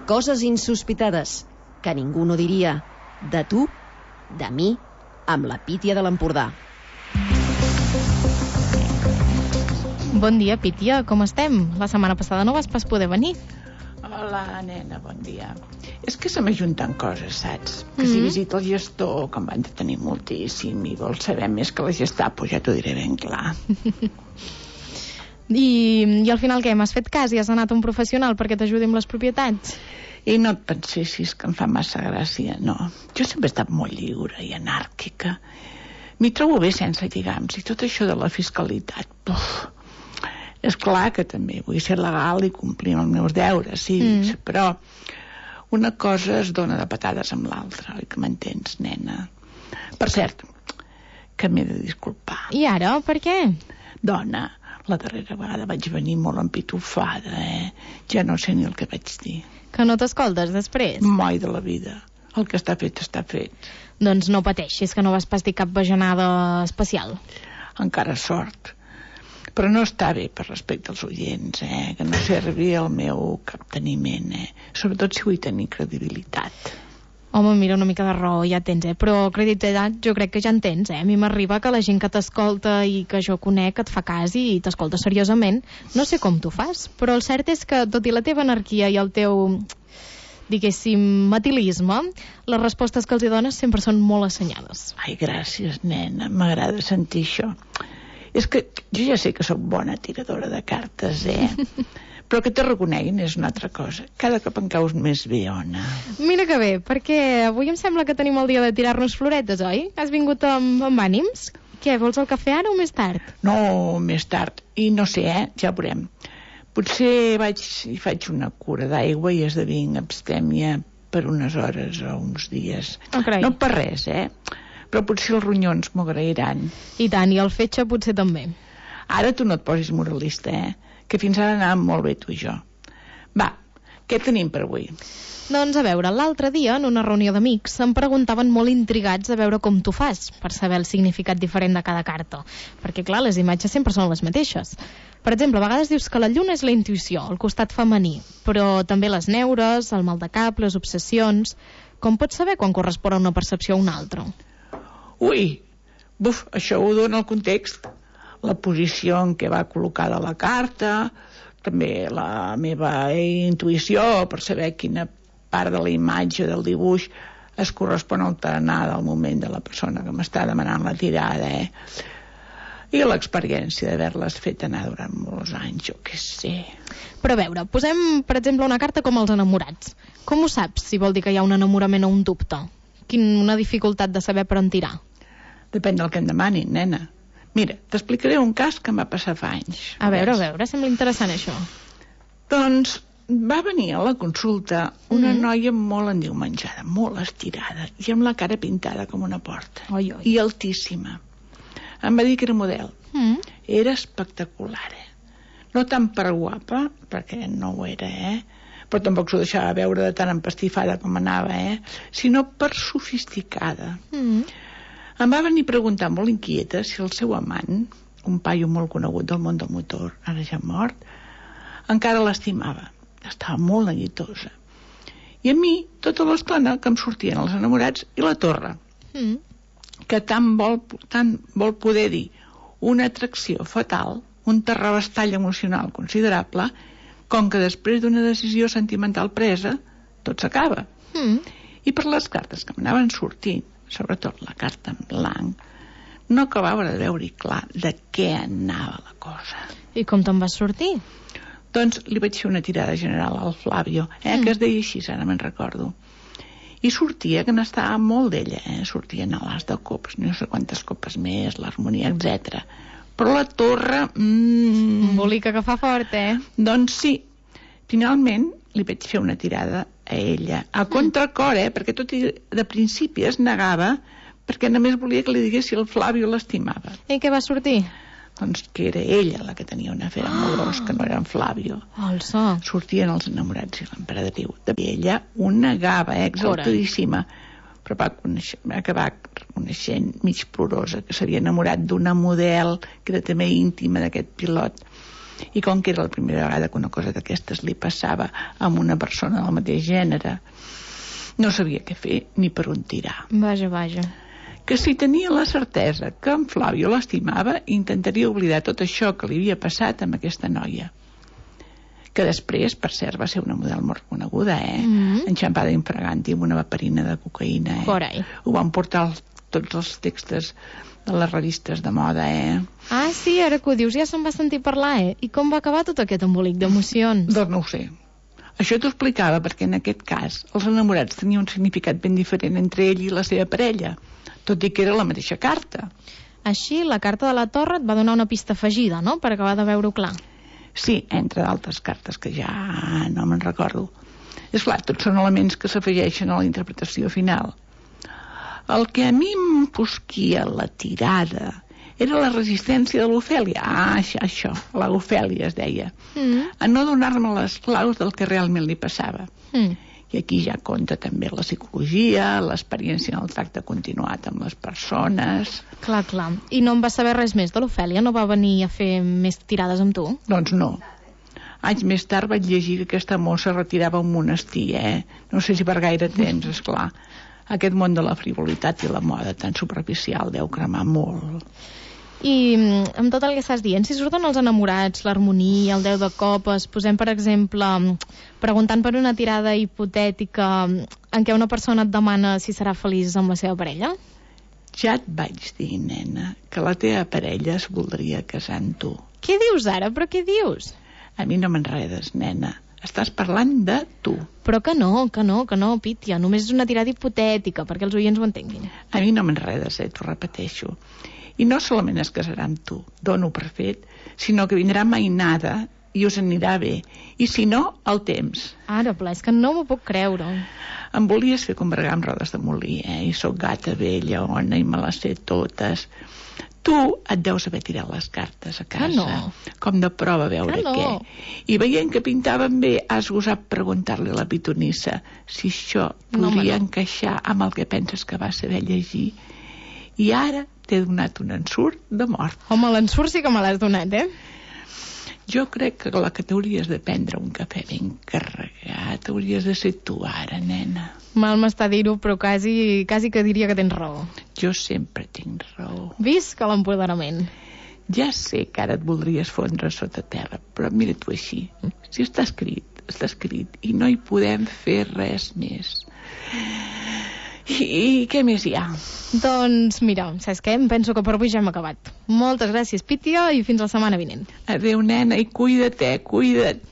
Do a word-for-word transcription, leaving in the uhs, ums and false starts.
Coses insospitades que ningú no diria. De tu, de mi, amb la Pítia de l'Empordà. Bon dia, Pítia, com estem? La setmana passada no vas pas poder venir. Hola, nena, bon dia. És que se m'ajunten coses, saps? Que Mm-hmm. si visita el gestor, que em van detenir moltíssim, i vol saber més que la Gestapo, ja t'ho diré ben clar. I, I al final què? M'has fet cas i has anat a un professional perquè t'ajudi amb les propietats? I no et pensessis que em fa massa gràcia, no. Jo sempre he estat molt lliure i anàrquica. M'hi trobo bé sense lligams, i tot això de la fiscalitat, puf, és clar que també vull ser legal i complir els meus deures, sí, mm. però una cosa es dona de patades amb l'altra, oi que m'entens, nena? Per cert, que m'he de disculpar. I ara, per què? Dona, la darrera vegada vaig venir molt empitufada, eh? Ja no sé ni el que vaig dir. Que no t'escoltes després? Mai de la vida. El que està fet, està fet. Doncs no pateixis, que no vas pas dir cap bajanada especial. Encara sort. Però no està bé per respecte als oients, eh? Que no servi el meu capteniment, eh? Sobretot si vull tenir credibilitat. Home, mira, una mica de raó ja tens, eh? Però credibilitat jo crec que ja en tens, eh? A mi m'arriba que la gent que t'escolta i que jo conec et fa cas i t'escolta seriosament. No sé com t'ho fas, però el cert és que, tot i la teva anarquia i el teu, diguéssim, matilisme, les respostes que els hi dones sempre són molt assenyades. Ai, gràcies, nena, m'agrada sentir això. És que jo ja sé que sóc bona tiradora de cartes, eh? Però que te reconeguin és una altra cosa. Cada cop em caus més bé, Ona. Mira que bé, perquè avui em sembla que tenim el dia de tirar-nos floretes, oi? Has vingut amb, amb ànims? Què, vols el cafè ara o més tard? No, més tard. I no sé, eh? Ja veurem. Potser vaig i faig una cura d'aigua i esdevinc abstèmia per unes hores o uns dies. Oh, no per res, eh? Però potser els ronyons m'ho agrairan. I tant, i el fetge potser també. Ara tu no et posis moralista, eh? Que fins ara anàvem molt bé tu i jo. Va, què tenim per avui? Doncs a veure, l'altre dia, en una reunió d'amics, em preguntaven molt intrigats a veure com tu fas, per saber el significat diferent de cada carta. Perquè, clar, les imatges sempre són les mateixes. Per exemple, a vegades dius que la lluna és la intuïció, el costat femení, però també les neures, el mal de cap, les obsessions... Com pots saber quan correspon a una percepció a una altra? Ui, buf, això ho dona el context. La posició en què va col·locada la carta, també la meva intuïció per saber quina part de la imatge del dibuix es correspon al tarannà del moment de la persona que m'està demanant la tirada, eh? I l'experiència d'haver-les fet anar durant molts anys, jo què sé. Però a veure, posem, per exemple, una carta com els enamorats. Com ho saps, si vol dir que hi ha un enamorament o un dubte? Quina una dificultat de saber per on tirar? Depèn del que em demanin, nena. Mira, t'explicaré un cas que em va passar fa anys. A veure, a veure, sembla interessant això. Doncs va venir a la consulta una Mm. noia molt endiumenjada, molt estirada, i amb la cara pintada com una porta. Oi, oi. I altíssima. Em va dir que era model. Mm. Era espectacular, eh? No tant per guapa, perquè no ho era, eh? Però tampoc s'ho deixava veure de tan empastifada com anava, eh? Sinó per sofisticada. Mm. Em va venir a preguntar molt inquieta si el seu amant, un paio molt conegut del món del motor, ara ja mort, encara l'estimava. Estava molt neguitosa. I a mi, tota l'estona que em sortien els enamorats i la torre, Mm. que tant vol, tant vol poder dir una atracció fatal, un terrabastall emocional considerable, com que després d'una decisió sentimental presa, tot s'acaba. Mm. I per les cartes que m'anaven sortint, sobretot la carta en blanc, no acabava de veure-hi clar de què anava la cosa. I com te'n vas sortir? Doncs li vaig fer una tirada general al Flavio, eh, Mm. que es deia així, ara me'n recordo. I sortia que n'estava molt d'ella, eh? Sortien a l'as de copes, no sé quantes copes més, l'harmonia, etcètera. Però la torre... Mm, Embolica que fa fort, eh? doncs sí. Finalment li vaig fer una tirada a ella, a contracor, eh? Perquè tot i de principi es negava, perquè només volia que li digués si el Flavio l'estimava. I què va sortir? Doncs que era ella la que tenia un afer amorós, que no era en Flavio. Alça. Sortien els enamorats i l'emperadriu. I ella ho negava, eh, exaltadíssima, però va, conèixer, va acabar coneixent mig plorosa que s'havia enamorat d'una model que era també íntima d'aquest pilot. I com que era la primera vegada que una cosa d'aquestes li passava a una persona del mateix gènere, no sabia què fer ni per on tirar. Vaja, vaja. Que si tenia la certesa que en Flavio l'estimava, intentaria oblidar tot això que li havia passat amb aquesta noia. Que després, per cert, va ser una model molt coneguda, eh? Mm-hmm. Enxampada infraganti amb una vaperina de cocaïna, eh? Carai. Ho van portar els, tots els textos de les revistes de moda, eh? Ah, sí, ara que ho dius ja se'n va sentir parlar, eh? I com va acabar tot aquest embolic d'emocions? Doncs no ho sé. Això t'ho explicava perquè en aquest cas els enamorats tenien un significat ben diferent entre ell i la seva parella, tot i que era la mateixa carta. Així, la carta de la Torre et va donar una pista afegida, no?, per acabar de veure-ho clar. Sí, entre d'altres cartes que ja no me'n recordo. És clar, tots són elements que s'afegeixen a la interpretació final. El que a mi em fosquia la tirada era la resistència de l'Ofèlia. Ah, això, això, la Ofèlia es deia. Mm. A no donar-me les claus del que realment li passava. Mm. I aquí ja compta també la psicologia, l'experiència en el tracte continuat amb les persones. Clar, clar. I no en va saber res més de l'Ofèlia? No va venir a fer més tirades amb tu? Doncs no. Anys més tard vaig llegir que aquesta mossa retirava un monestir, eh? No sé si per gaire temps, esclar. Aquest món de la frivolitat i la moda tan superficial deu cremar molt. I amb tot el que estàs dient, si surten els enamorats, l'harmonia, el deu de copes, posem per exemple, preguntant per una tirada hipotètica en què una persona et demana si serà feliç amb la seva parella? Ja et vaig dir, nena, que la teva parella es voldria casar amb tu. Què dius ara? Però què dius? A mi no m'enredes, nena. Estàs parlant de tu. Però que no, que no, que no, Pítia. Només és una tirada hipotètica, perquè els oients ho entenguin. A mi no m'enredes, eh, t'ho repeteixo. I no solament es casarà amb tu, dono per fet, sinó que vindrà mainada i us anirà bé. I si no, el temps. Ara, pla, és que no m'ho puc creure. Em volies fer combregar amb rodes de molí, eh? I sóc gata vella, ona, i me les sé totes. Tu et deus haver tirat les cartes a casa, no. Com de prova a veure no. què. I veient que pintaven bé, has gosat preguntar-li a la pitonissa si això podia no, encaixar amb el que penses que va saber llegir. I ara t'he donat un ensurt de mort. Home, l'ensurt sí que me l'has donat, eh? Jo crec que la que t'hauries de prendre un cafè ben carregat hauries de ser tu ara, nena. Mal m'està dir-ho, però quasi, quasi que diria que tens raó. Jo sempre tinc raó. Visca l'empoderament. Ja sé que ara et voldries fondre sota terra, però mira tu així. Si està escrit, està escrit, i no hi podem fer res més. I, i què més hi ha? Doncs mira, saps què? Em penso que per avui ja hem acabat. Moltes gràcies, Pítia, i fins la setmana vinent. Adéu, nena, i cuida't, eh? Cuida't.